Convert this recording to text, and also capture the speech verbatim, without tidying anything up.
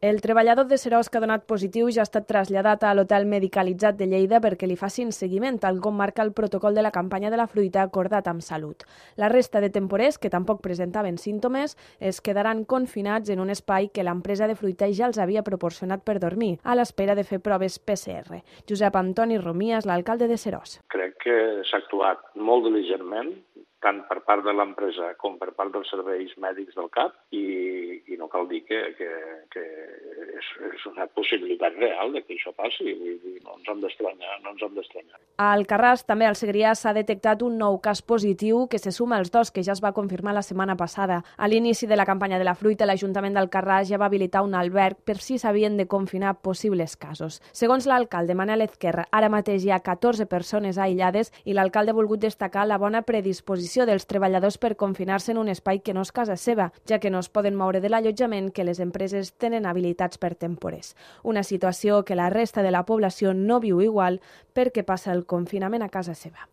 El treballador de Seròs que ha donat positiu ja ha estat traslladat a l'hotel medicalitzat de Lleida perquè li facin seguiment, tal com marca el protocol de la campanya de la fruita acordat amb Salut. La resta de temporers, que tampoc presentaven símptomes, es quedaran confinats en un espai que l'empresa de fruita ja els havia proporcionat per dormir, a l'espera de fer proves P C R. Josep Antoni Romies, l'alcalde de Seròs. Crec que s'ha actuat molt diligentment, tant per part de l'empresa com per part dels serveis mèdics del C A P, i, i no cal dir que, que, que és, és una possibilitat real de que això passi. Vull dir, no ens hem d'estranyar, no ens hem d'estranyar. A Alcarràs, també al Segrià, s'ha detectat un nou cas positiu que se suma als dos que ja es va confirmar la setmana passada. A l'inici de la campanya de la fruita, l'Ajuntament d'Alcarràs ja va habilitar un alberg per si s'havien de confinar possibles casos. Segons l'alcalde Manel Ezquerra, ara mateix hi ha catorze persones aïllades i l'alcalde ha volgut destacar la bona predisposició dels treballadors per confinar-se en un espai que no és casa seva, ja que no es poden moure de l'allotjament que les empreses tenen habilitats per temporers. Una situació que la resta de la població no viu igual perquè passa el confinament a casa seva.